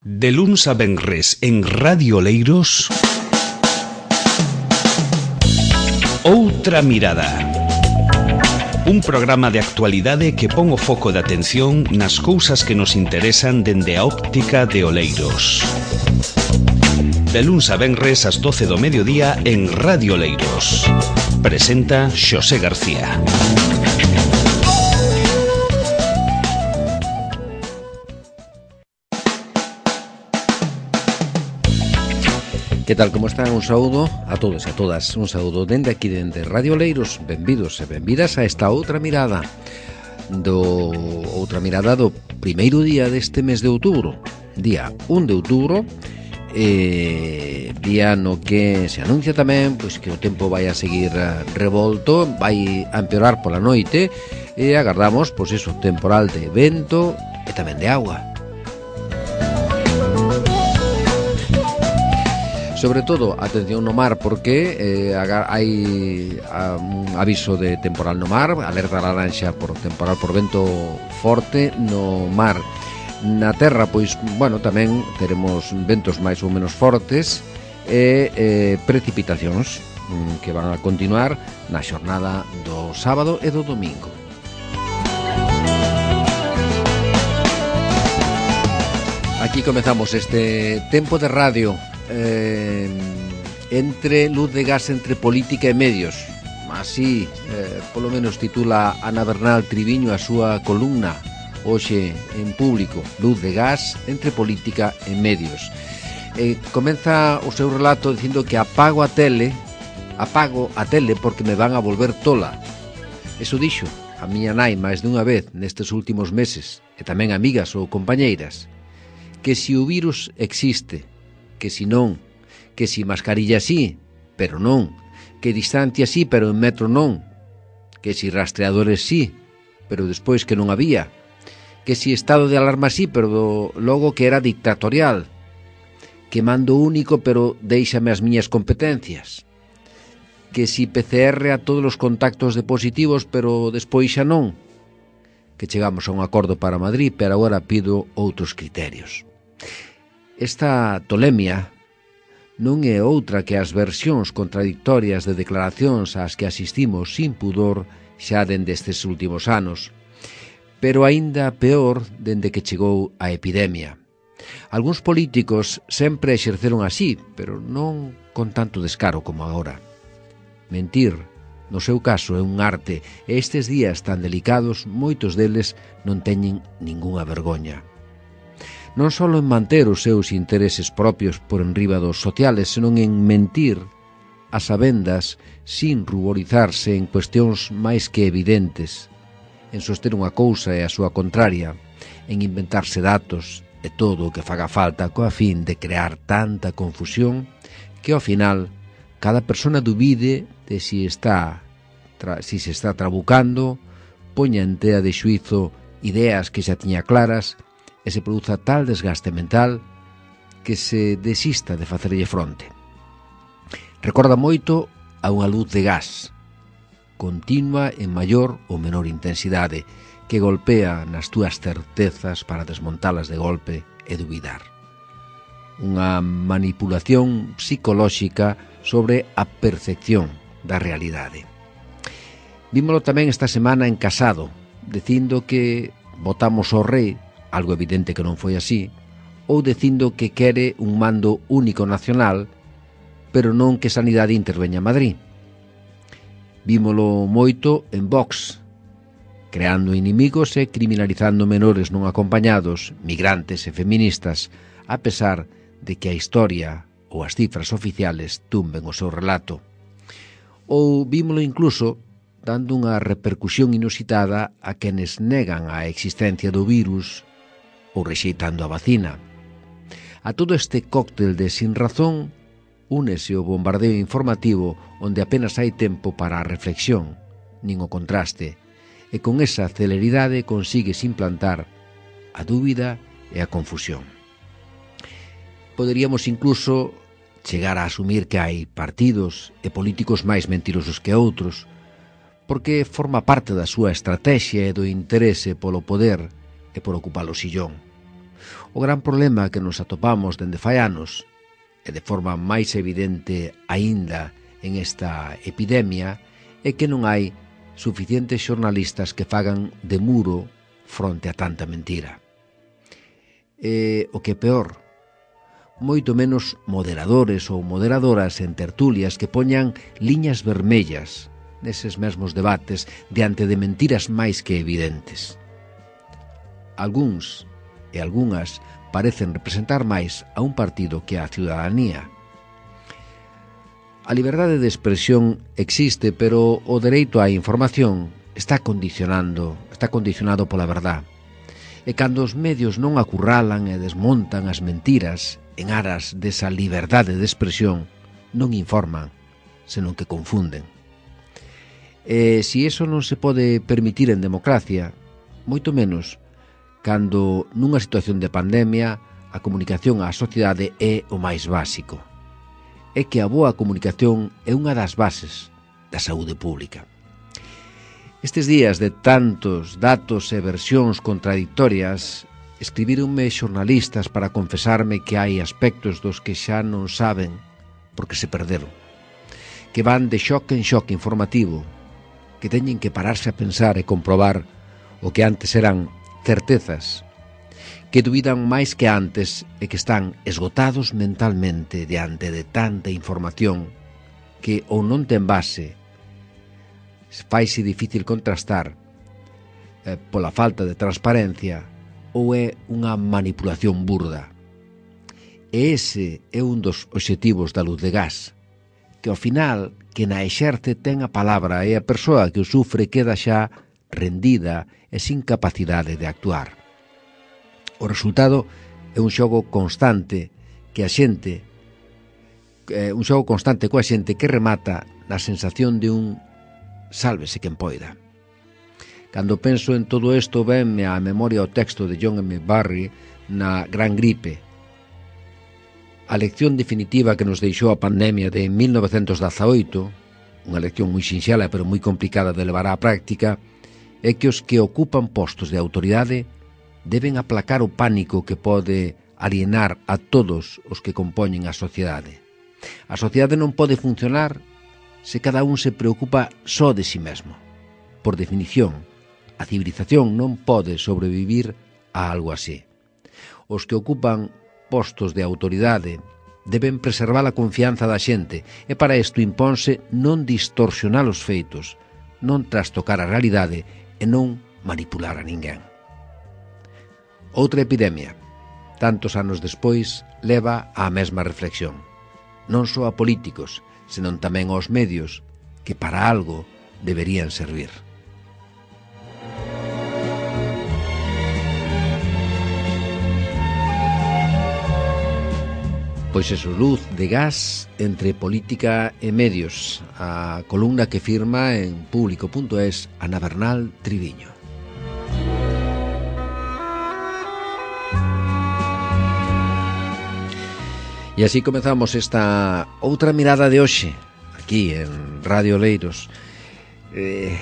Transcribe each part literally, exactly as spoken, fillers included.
De luns a venres en Radio Oleiros, Outra Mirada. Un programa de actualidade que pon o foco de atención nas cousas que nos interesan dende a óptica de Oleiros. De luns a venres ás doce do mediodía en Radio Oleiros. Presenta Xosé García. Que tal, como están? Un saúdo a todos e a todas. Un saúdo dende aquí, dende Radio Oleiros. Benvidos e benvidas a esta outra mirada do outra mirada do primeiro día deste mes de outubro, día un de outubro, eh, día no que se anuncia tamén pois que o tempo vai a seguir revolto, vai a empeorar pola noite e agardamos pois iso, temporal de vento e tamén de auga. Sobre todo, atención no mar, porque eh, hai un aviso de temporal no mar, alerta laranxa por temporal por vento forte no mar. Na terra, pois, bueno, tamén teremos ventos máis ou menos fortes e eh, precipitacións que van a continuar na xornada do sábado e do domingo. Aquí comezamos este tempo de radio. Eh, entre luz de gas entre política e medios, así eh, polo menos titula Ana Bernal Triviño a súa columna hoxe en Público, luz de gas entre política e medios. Eh, comeza o seu relato dicindo que apago a tele apago a tele porque me van a volver tola. Eso dixo a miña nai máis dunha vez nestes últimos meses, e tamén amigas ou compañeiras, que si o virus existe, que si non, que si mascarilla sí, pero non, que distancia sí, pero en metro non, que si rastreadores sí, pero despois que non había, que si estado de alarma sí, pero logo que era dictatorial, que mando único, pero déixame as miñas competencias, que si P C R a todos os contactos de positivos, pero despois xa non, que chegamos a un acordo para Madrid, pero agora pido outros criterios. Esta tolemia non é outra que as versións contradictorias de declaracións ás que asistimos sin pudor xa dende estes últimos anos, pero aínda peor dende que chegou a epidemia. Algúns políticos sempre exerceron así, pero non con tanto descaro como agora. Mentir, no seu caso, é un arte, e estes días tan delicados, moitos deles non teñen ningunha vergoña. Non só en manter os seus intereses propios por enriba dos sociales, senón en mentir a sabendas sin ruborizarse en cuestións máis que evidentes, en soster unha cousa e a súa contraria, en inventarse datos e todo o que faga falta coa fin de crear tanta confusión que ao final cada persona dubide de si está tra, si se está trabucando, poña en tea de xuizo ideas que xa tiña claras e se produza tal desgaste mental que se desista de facerlle fronte. Recorda moito a unha luz de gas, continua en maior ou menor intensidade, que golpea nas túas certezas para desmontalas de golpe e dubidar. Unha manipulación psicolóxica sobre a percepción da realidade. Vímolo tamén esta semana en Casado, dicindo que votamos ao rei, algo evidente que non foi así, ou dicindo que quere un mando único nacional, pero non que Sanidade interveña a Madrid. Vímolo moito en Vox, creando inimigos e criminalizando menores non acompañados, migrantes e feministas, a pesar de que a historia ou as cifras oficiales tumben o seu relato. Ou vímolo incluso dando unha repercusión inusitada a quenes negan a existencia do virus ou rexeitando a vacina. A todo este cóctel de sin razón únese o bombardeo informativo onde apenas hai tempo para a reflexión, nin o contraste, e con esa celeridade consigues implantar a dúbida e a confusión. Poderíamos incluso chegar a asumir que hai partidos e políticos máis mentirosos que outros, porque forma parte da súa estrategia e do interese polo poder e por ocupar o sillón. O gran problema que nos atopamos dende fai anos, e de forma máis evidente aínda en esta epidemia, é que non hai suficientes xornalistas que fagan de muro fronte a tanta mentira. E o que é peor, moito menos moderadores ou moderadoras en tertulias que poñan liñas vermellas neses mesmos debates diante de mentiras máis que evidentes. Algúns e algunhas parecen representar máis a un partido que a ciudadanía. A liberdade de expresión existe, pero o dereito á información está condicionando, está condicionado pola verdad. E cando os medios non acurralan e desmontan as mentiras en aras desa liberdade de expresión, non informan, senón que confunden. E se iso non se pode permitir en democracia, moito menos cando nunha situación de pandemia a comunicación á sociedade é o máis básico. É que a boa comunicación é unha das bases da saúde pública. Estes días de tantos datos e versións contradictorias, escribironme xornalistas para confesarme que hai aspectos dos que xa non saben porque se perderon, que van de xoque en xoque informativo, que teñen que pararse a pensar e comprobar o que antes eran certezas, que dubidan máis que antes e que están esgotados mentalmente diante de tanta información que ou non ten base, faise difícil contrastar eh, pola falta de transparencia ou é unha manipulación burda. E ese é un dos obxectivos da luz de gas, que ao final que na exerce ten a palabra e a persoa que o sufre queda xa rendida e sin capacidade de actuar. O resultado é un xogo constante que a xente eh, un xogo constante coa xente que remata na sensación de un sálvese quen poida. Cando penso en todo isto, venme á memoria o texto de John M. Barry na Gran Gripe. A lección definitiva que nos deixou a pandemia de mil novecentos dezaoito, unha lección moi sinxela pero moi complicada de levar á práctica, é que os que ocupan postos de autoridade deben aplacar o pánico que pode alienar a todos os que compoñen a sociedade. A sociedade non pode funcionar se cada un se preocupa só de si mesmo. Por definición, a civilización non pode sobrevivir a algo así. Os que ocupan postos de autoridade deben preservar a confianza da xente e para isto imponse non distorsionar os feitos, non trastocar a realidade e non manipular a ninguén. Outra epidemia, tantos anos despois, leva á mesma reflexión. Non só a políticos, senón tamén aos medios, que para algo deberían servir. Pois eso, luz de gas entre política e medios, a columna que firma en público punto es Ana Bernal Triviño. E así comezamos esta outra mirada de hoxe, aquí en Radio Oleiros. Eh,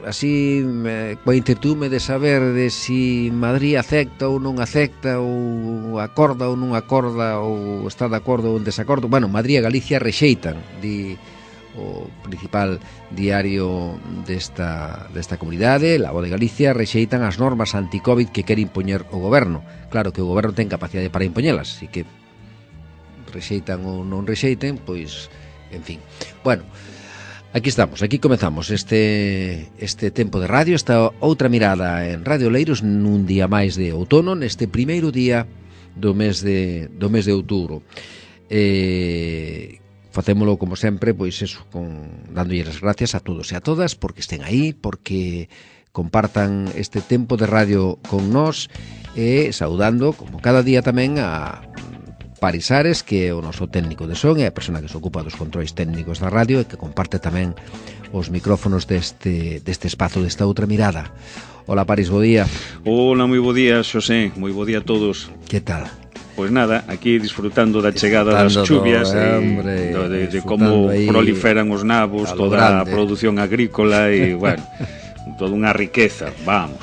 así, eh, coa incertume de saber de si Madrid acepta ou non acepta, ou acorda ou non acorda, ou está de acordo ou en desacordo. Bueno, Madrid e Galicia rexeitan, di o principal diario desta, desta comunidade, La Voz de Galicia, rexeitan as normas anti-Covid que quere impoñer o goberno. Claro que o goberno ten capacidade para impoñelas, así que rexeitan ou non rexeiten, pois, en fin. Bueno, aquí estamos, aquí comezamos este este tempo de radio, esta outra mirada en Radio Oleiros nun día máis de outono, neste primeiro día do mes de do mes de outubro. Eh, facémolo como sempre, pois eso, con dándolle as gracias a todos e a todas porque estén aí, porque compartan este tempo de radio con nós e saudando, como cada día tamén, a Parisares, que é o noso técnico de son e a persona que se ocupa dos controis técnicos da radio e que comparte tamén os micrófonos deste, deste espazo, desta outra mirada. Hola Paris, bo día. Hola, moi bo día, Xosé, moi bo día a todos. Que tal? Pois nada, aquí disfrutando da chegada das chuvias do, e hombre, de, de como proliferan os nabos, toda a produción agrícola e, bueno, toda unha riqueza, vamos.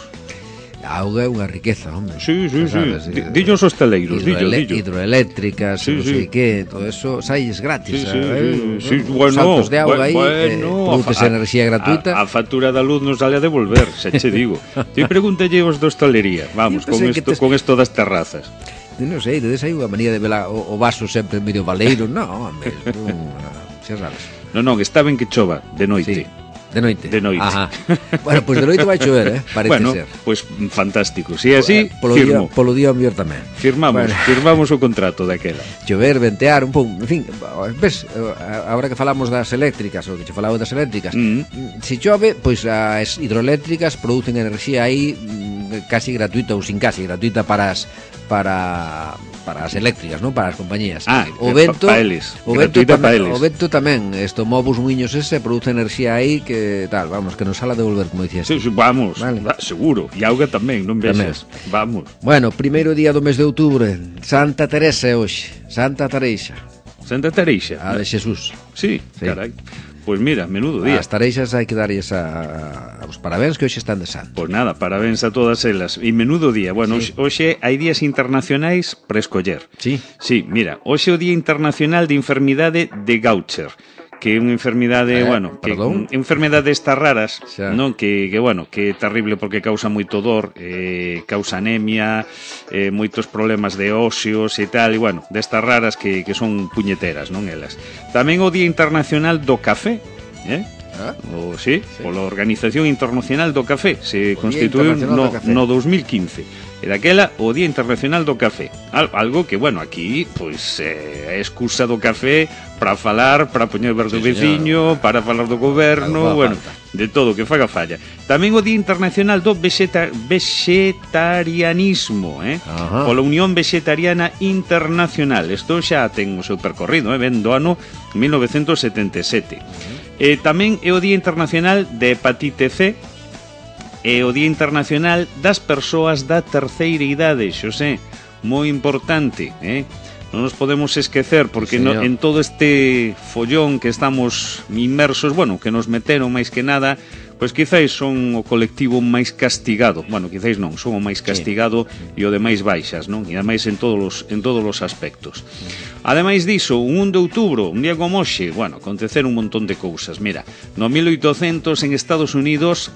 a auga é unha riqueza, hombre. Sí, sí, sí. Dillos os teleiros, dillo, dillo. Hidroeléctricas, sí, non sei sí. que, todo eso sailles gratis. Sí, sí, eh, sí, sí. Eh, Bueno, saltos de auga bueno, aí, bueno, eh, produces enerxía gratuita. A, a factura da luz nos sale a devolver, se che digo. Ti pregúntelle os da hostalería, vamos, con isto, tes... con isto das terrazas. Non sei, dedes aí unha manía de ver o, o vaso sempre medio baleiro, non, hombre, non, xa sabes. Non, non, está ben que chova de noite. Sí. De noite. De noite. Ajá. Bueno, pois pues de noite vai chover, eh? Parece bueno, ser. Pois pues, fantástico. Si é así, polo firmo. Día, polo día mellor tamén. Firmamos, bueno. firmamos o contrato daquela. Chover, ventear, un pouco, en fin, ves, agora que falamos das eléctricas, o que che falaba das eléctricas, mm. se chove, pois pues, as hidroeléctricas producen enerxía aí casi gratuita ou sin casi gratuita para as para para as eléctricas, non? Para as compañías. Ah, o vento, pa, pa eles. O vento tamén, pa eles. O vento tamén, isto movos muiños ese produce enerxía aí que tal, vamos, que nos sala devolver, como dicías. Sí, sí, vamos, vale. va, seguro. E auga tamén, non vexas. Vamos. Bueno, primeiro día do mes de outubro, Santa Teresa hoxe, Santa Tereixa. Santa Tereixa. A de Xesús. Sí, sí. Carai. Pois pues mira, menudo día. As tareixas hai que darlles a, a, os parabéns que hoxe están de santo. Pois pues nada, parabéns a todas elas. E menudo día. Bueno, sí. hoxe hai días internacionais para escoller. Sí. Sí, mira, hoxe é o Día Internacional de Enfermidade de Gaucher, que é unha enfermidade, eh, bueno, que perdón? enfermidades estas raras, xa. non, que que bueno, que é terrible porque causa moito dor, eh, causa anemia, eh, moitos problemas de óseos e tal, e bueno, destas raras que que son puñeteras, non elas. Tamén o Día Internacional do Café, eh? ¿Ah? O, sí, sí, pola Organización Internacional do Café, se o constituiu no, no dos mil quince. E daquela o Día Internacional do Café. Al, algo que, bueno, aquí pois eh, é excusa do café para falar, para poñer ver do sí, veciño, señor. Para falar do goberno, bueno, falta. De todo que faga falla. Tamén o Día Internacional do vegeta, Vegetarianismo, eh? Pola Unión Vegetariana Internacional. Isto xa ten o seu percorrido, eh? Ben do ano mil novecentos setenta e sete. Uh-huh. Eh, tamén é o Día Internacional de Hepatite C, e o Día Internacional das Persoas da Terceira Idade, Xosé, moi importante, eh? Non nos podemos esquecer, porque no, en todo este follón que estamos inmersos, bueno, que nos meteron máis que nada, pois quizáis son o colectivo máis castigado, bueno, quizáis non, son o máis castigado sí. E o de máis baixas, non? E ademais en todos os, en todos os aspectos. Ademais diso, un un de outubro, un día como hoxe, bueno, aconteceron un montón de cousas. Mira, no mil oitocentos en Estados Unidos,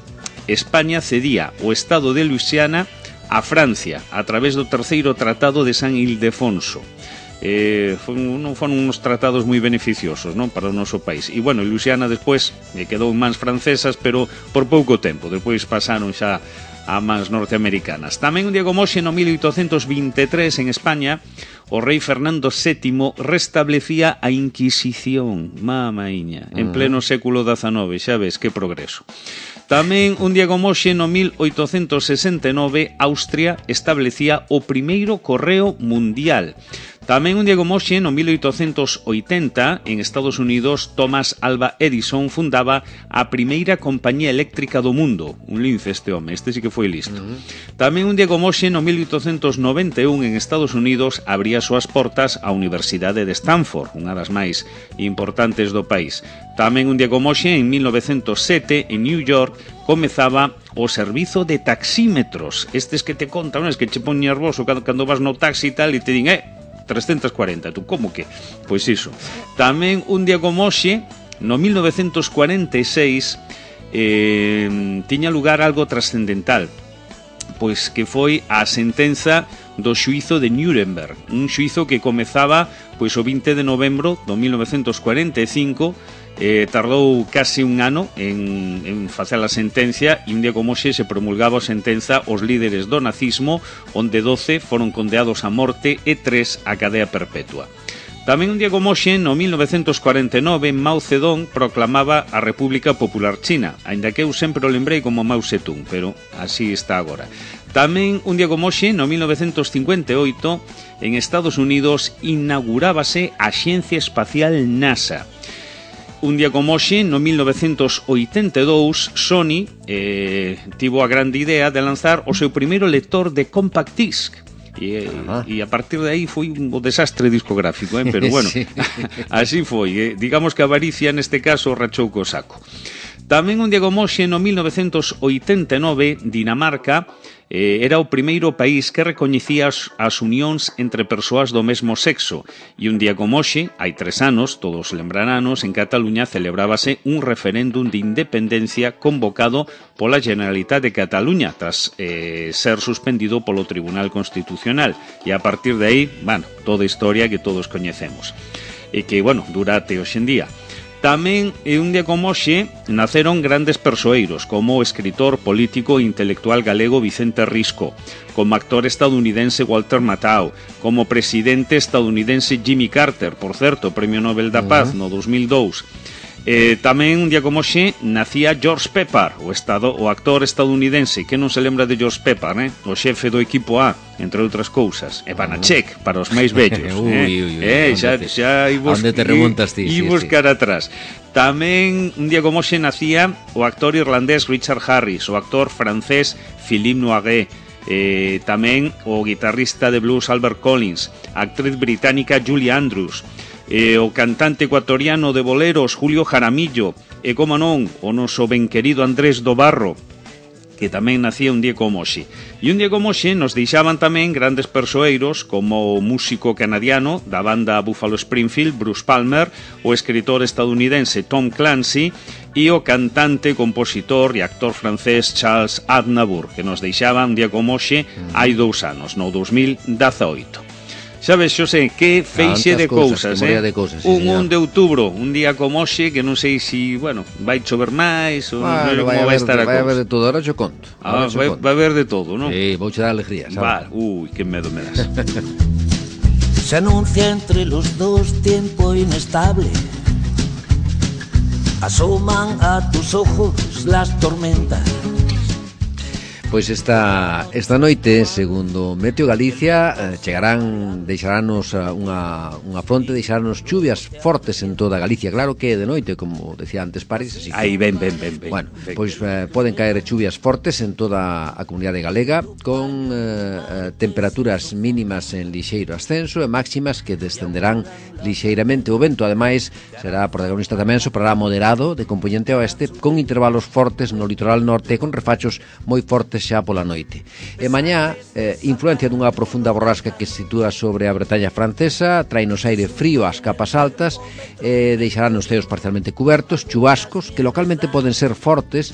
España cedía o estado de Luisiana a Francia a través do terceiro tratado de San Ildefonso. Eh, non foron uns tratados moi beneficiosos, non, para o noso país. E bueno, Luisiana despois eh, quedou en mans francesas, pero por pouco tempo. Despois pasaron xa a mans norteamericanas. Tamén un día como hoxe, no mil oitocentos vinte e tres en España, o rei Fernando sétimo restablecía a Inquisición, mamaiña, en pleno século dezanove, xa ves que progreso. Tamén un día como hoxe, no mil oitocentos sesenta e nove, Austria establecía o primeiro correo mundial. Tamén un día como hoxe, no mil oitocentos oitenta, en Estados Unidos, Thomas Alva Edison fundaba a primeira compañía eléctrica do mundo. Un lince este home, este sí que foi listo. Uh-huh. Tamén un día como hoxe, no mil oitocentos noventa e un, en Estados Unidos, abría as súas portas a Universidade de Stanford, unha das máis importantes do país. Tamén un día como hoxe, en mil novecentos sete, en New York, comezaba o servizo de taxímetros. Estes que te contan, es que che pon nervoso cando vas no taxi e tal, e te din, eh, trescentos cuarenta, tú, como que? Pois iso. Tamén un día como hoxe, no mil novecentos cuarenta e seis, eh, tiña lugar algo trascendental, pois que foi a sentenza do xuízo de Nuremberg, un xuízo que comezaba pois o vinte de novembro do mil novecentos cuarenta e cinco. Eh, tardou casi un ano en, en facer a sentencia, e un día como hoxe se promulgaba a sentenza aos líderes do nazismo, onde doce foron condeados a morte e tres a cadea perpetua. Tamén un día como hoxe, no mil novecentos cuarenta e nove, Mao Zedong proclamaba a República Popular China, aínda que eu sempre o lembrei como Mao Zedong, pero así está agora. Tamén un día como hoxe, no mil novecentos cincuenta e oito, en Estados Unidos inaugurábase a Axencia Espacial NASA. Un día como hoxe, no mil novecentos oitenta e dous, Sony eh, tivo a grande idea de lanzar o seu primeiro lector de compact disc. E, e a partir de aí foi un desastre discográfico, eh? Pero bueno, sí. Así foi, eh? Digamos que a avaricia neste caso rachou co saco. Tamén un día como hoxe, no mil novecentos oitenta e nove, Dinamarca eh, era o primeiro país que recoñecía as, as unións entre persoas do mesmo sexo. E un día como hoxe, hai tres anos, todos lembraranos, en Cataluña celebrábase un referéndum de independencia convocado pola Generalitat de Cataluña tras eh, ser suspendido polo Tribunal Constitucional. E a partir de aí, bueno, toda a historia que todos coñecemos. E que, bueno, dura até hoxe en día. Tamén, un día como hoxe, naceron grandes persoeiros, como o escritor, político e intelectual galego Vicente Risco, como actor estadounidense Walter Matthau, como presidente estadounidense Jimmy Carter, por certo, Premio Nobel da Paz no dos mil dous. Eh, tamén un día como hoxe nacía George Pepper, o, estado, o actor estadounidense. Que non se lembra de George Pepper, eh? O xefe do equipo A, entre outras cousas. E Banachek, para os máis vellos. Ui, eh? ui, ui, eh, xa, xa ibos, onde te remontas ti? E Sí, buscar sí. atrás. Tamén un día como hoxe nacía o actor irlandés Richard Harris, o actor francés Philippe Noiret, eh, tamén o guitarrista de blues Albert Collins, a actriz británica Julie Andrews, eh, o cantante ecuatoriano de boleros Julio Jaramillo, e como non, o noso ben querido Andrés do Barro, que tamén nacía un día como hoxe. E un día como hoxe nos deixaban tamén grandes persoeiros como o músico canadiano da banda Buffalo Springfield, Bruce Palmer, o escritor estadounidense Tom Clancy e o cantante, compositor e actor francés Charles Aznavour, que nos deixaban un día como hoxe hai dous anos, no dos mil dezaoito. Sabes, Xosé, que feixe de cousas, eh? De cousas, sí, un señor. un de outubro, un día como hoxe, que non sei se, si, bueno, vai chover máis ou non sei Bueno, como vai, vai haber, estar a vai haber cousa. de todo, ahora yo conto. Ah, Ahora yo vai, conto. vai haber de todo, non? Sí, vouche dar alegría, Vale, sabes? uy, que medo me das. Se anuncia entre los dos tiempo inestable. Asoman a tus ojos las tormentas. Pois esta, esta noite, segundo Meteo Galicia, eh, chegarán, deixaranos unha, unha fronte, deixaranos chuvias fortes en toda Galicia. Claro que de noite, como decía antes París, así que... Aí, ven, ven, ven, ven. Bueno, ven. pois eh, poden caer chuvias fortes en toda a comunidade galega, con eh, eh, temperaturas mínimas en lixeiro ascenso e máximas que descenderán lixeiramente. O vento, ademais, será protagonista tamén, soprará moderado de componente oeste, con intervalos fortes no litoral norte e con refachos moi fortes xa pola noite. E mañá, eh, influencia dunha profunda borrasca que se sitúa sobre a Bretaña francesa, trainos aire frío ás capas altas, e deixarán os ceos parcialmente cubertos, chubascos que localmente poden ser fortes,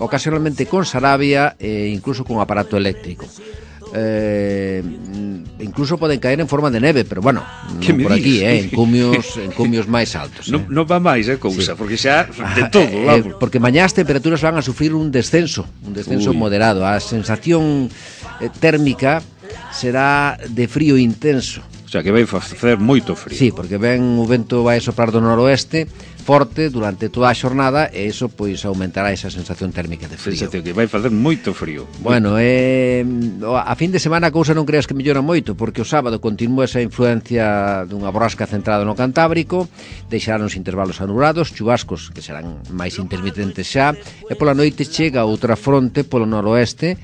ocasionalmente con sarabia e incluso con aparato eléctrico. Eh, incluso poden caer en forma de neve, pero bueno, Que non me por aquí, dices? eh, en cumios en cumios máis altos. Non, eh. non va máis a cousa, Sí. porque xa de Ah, todo, eh, vamos. porque mañá as temperaturas van a sufrir un descenso, un descenso Ui. moderado. A sensación eh, térmica será de frío intenso. O sea, que vai facer moito frío. Sí, porque ven o vento vai soprar do noroeste forte durante toda a xornada e iso pois aumentará esa sensación térmica de frío. Sensación que vai facer moito frío. Bueno, eh, a fin de semana a cousa non creas que mellora moito, porque o sábado continúa esa influencia dunha borrasca centrada no Cantábrico, deixarán os intervalos anulados, chubascos que serán máis intermitentes xa, e pola noite chega outra fronte polo noroeste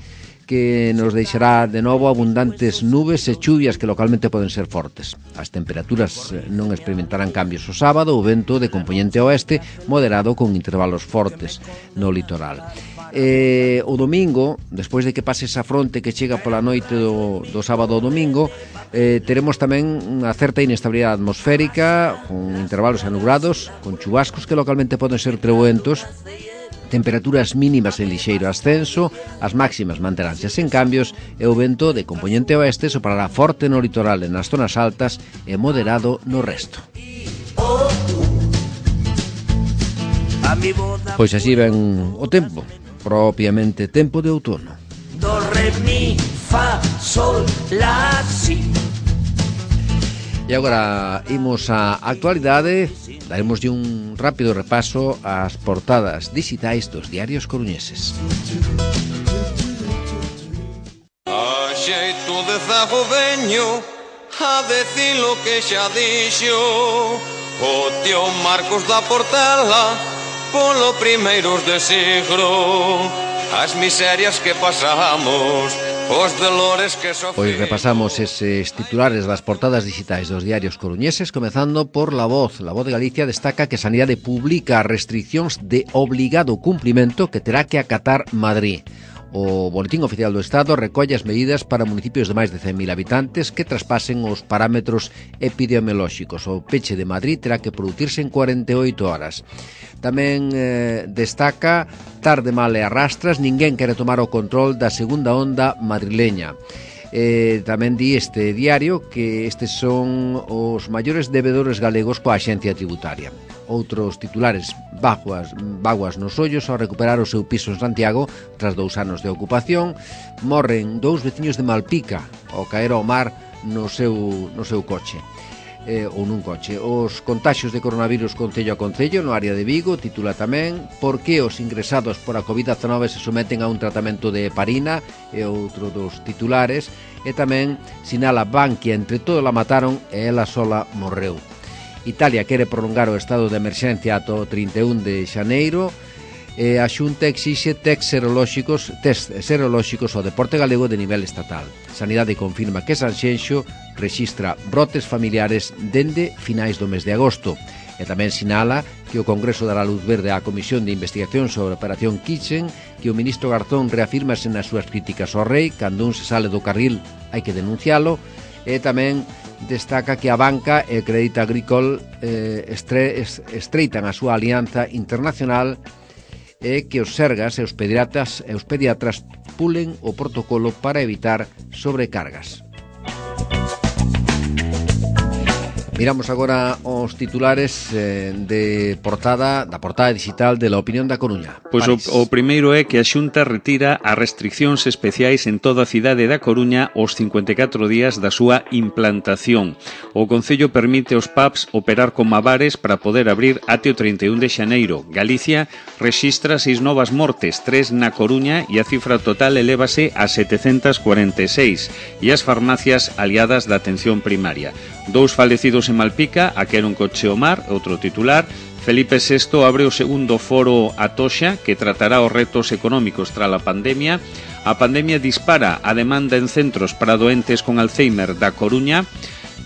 que nos deixará de novo abundantes nubes e chuvias que localmente poden ser fortes. As temperaturas non experimentarán cambios o sábado, o vento de componente oeste moderado con intervalos fortes no litoral. Eh, o domingo, despois de que pase esa fronte que chega pola noite do, do sábado ao domingo, eh, teremos tamén unha certa inestabilidade atmosférica, con intervalos anubrados, con chubascos que localmente poden ser treboentos, temperaturas mínimas en lixeiro ascenso, as máximas manteránse sen cambios e o vento de componente oeste soprará forte no litoral e nas zonas altas e moderado no resto. Pois así ven o tempo, propiamente tempo de outono. Do, re, mi, fa, sol, la, si. E agora imos á actualidade, daremoslle un rápido repaso ás portadas digitais dos diarios coruñeses. A xeito de zago veño a decir lo que xa dixo o tío Marcos da Portela polo primeiros de siglo. As miserias que pasamos os dolores que sofrí. Pois repasamos eses titulares das portadas digitais dos diarios coruñeses, comezando por La Voz. La Voz de Galicia destaca que Sanidade publica restriccións de obligado cumprimento que terá que acatar Madrid. O Boletín Oficial do Estado recolle as medidas para municipios de máis de cen mil habitantes que traspasen os parámetros epidemiolóxicos. O peche de Madrid terá que producirse en cuarenta e oito horas. Tamén eh, destaca tarde mal e arrastras, ninguén quere tomar o control da segunda onda madrileña. Eh, tamén di este diario que estes son os maiores debedores galegos coa axencia tributaria. Outros titulares: vaguas, vaguas nos ollos ao recuperar o seu piso en Santiago tras dous anos de ocupación. Morren dous veciños de Malpica ao caer ao mar no seu, no seu coche eh, ou nun coche. Os contaxios de coronavirus concello a concello no área de Vigo. Titula tamén por que os ingresados por a covid diecinueve se someten a un tratamento de heparina, e outro dos titulares. E tamén sinala Bankia, entre todo la mataron e ela sola morreu. Italia quere prolongar o estado de emerxencia ata o trinta e un de xaneiro. E a Xunta exixe test serolóxicos, test serolóxicos ao deporte galego de nivel estatal. Sanidade confirma que Sanxenxo rexistra brotes familiares dende finais do mes de agosto. E tamén sinala que o Congreso dará luz verde á Comisión de Investigación sobre a Operación Kitchen, que o ministro Garzón reafírmase nas súas críticas ao rei: cando un se sale do carril hai que denuncialo. E tamén destaca que a banca e Crédito Agricole eh, estre, estreitan a súa alianza internacional e que os sergas e os pediatras, e os pediatras pulen o protocolo para evitar sobrecargas. Miramos agora os titulares eh, de portada da portada digital de La Opinión da Coruña. Pois o, o primeiro é que a Xunta retira as restriccións especiais en toda a cidade da Coruña os cincuenta e catro días da súa implantación. O Concello permite aos pubs operar como bares para poder abrir até o trinta e un de xaneiro. Galicia rexistra seis novas mortes, tres na Coruña, e a cifra total elévase a setecentas cuarenta e seis, e as farmacias aliadas da atención primaria. Dous falecidos en Malpica, a que era un coche ao mar. Outro titular: Felipe sexto abre o segundo foro Atoxa, que tratará os retos económicos tras a pandemia. A pandemia dispara a demanda en centros para doentes con Alzheimer da Coruña.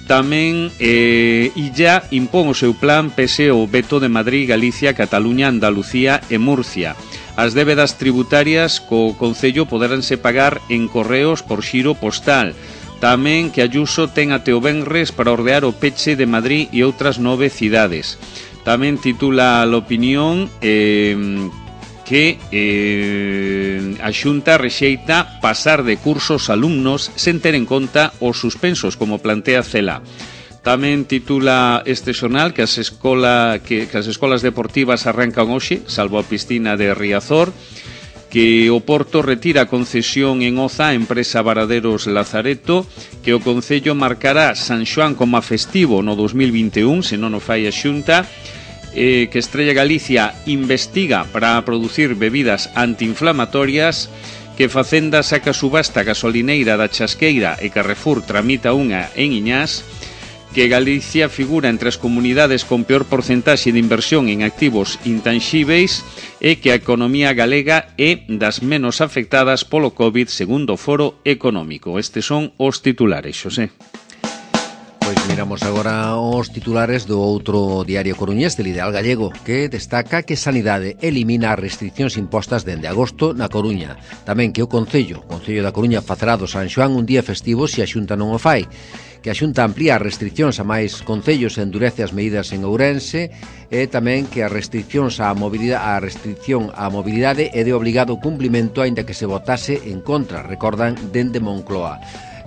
Tamén eh, Illa impón o seu plan pese ao veto de Madrid, Galicia, Cataluña, Andalucía e Murcia. As débedas tributarias co Concello poderánse pagar en correos por xiro postal. Tamén que Ayuso ten até o venres para ordear o peche de Madrid e outras nove cidades. Tamén titula a Opinión eh, que eh, a Xunta rexeita pasar de cursos alumnos sen ter en conta os suspensos, como plantea Cela. Tamén titula este xornal que as, escola, que, que as escolas deportivas arrancan hoxe, salvo a piscina de Riazor, que o Porto retira a concesión en Oza a empresa Varaderos Lazareto, que o Concello marcará San Xoán como a festivo no dos mil vinte e un, se non o fai a Xunta, eh, que Estrella Galicia investiga para producir bebidas antiinflamatorias, que Facenda saca subasta gasolineira da Chasqueira e Carrefour tramita unha en Iñás, que Galicia figura entre as comunidades con peor porcentaxe de inversión en activos intanxíveis e que a economía galega é das menos afectadas polo COVID, segundo o Foro Económico. Estes son os titulares, Xosé. Pois miramos agora os titulares do outro diario coruñés, del Ideal Gallego, que destaca que Sanidade elimina as restriccións impostas dende agosto na Coruña. Tamén que o Concello, o Concello da Coruña facerá do San Xoán un día festivo se a Xunta non o fai. Que a Xunta amplía as restriccións a máis concellos e endurece as medidas en Ourense, e tamén que as restriccións á mobilidade, a restricción á mobilidade é de obligado cumplimento aínda que se votase en contra, recordan dende Moncloa.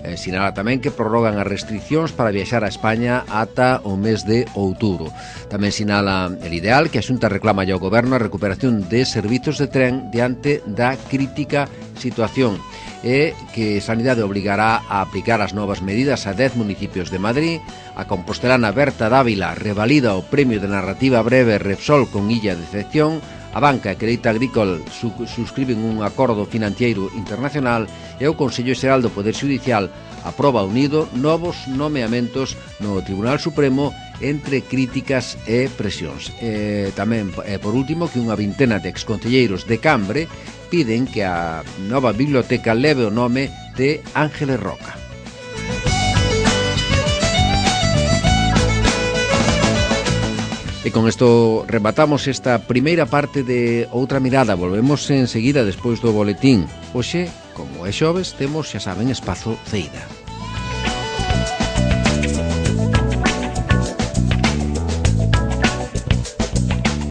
Eh, sinala tamén que prorrogan as restriccións para viaxar a España ata o mes de outubro. Tamén sinala el Ideal que a Xunta reclama ao Goberno a recuperación de servizos de tren diante da crítica situación, e que Sanidade obligará a aplicar as novas medidas a dez municipios de Madrid. A compostelana Berta Dávila revalida o premio de narrativa breve Repsol con Illa de Decepción. A banca e Crédito Agricole su suscriben un acordo financiero internacional, e o Consello Xeral do Poder Xudicial aproba unido novos nomeamentos no Tribunal Supremo entre críticas e presións. E tamén, e por último, que unha vintena de exconcelleiros de Cambre piden que a nova biblioteca leve o nome de Ángeles Roca. E con isto rematamos esta primeira parte de Outra Mirada. Volvemos enseguida despois do boletín. Hoxe, como é xoves, temos, xa saben, espazo Ceida.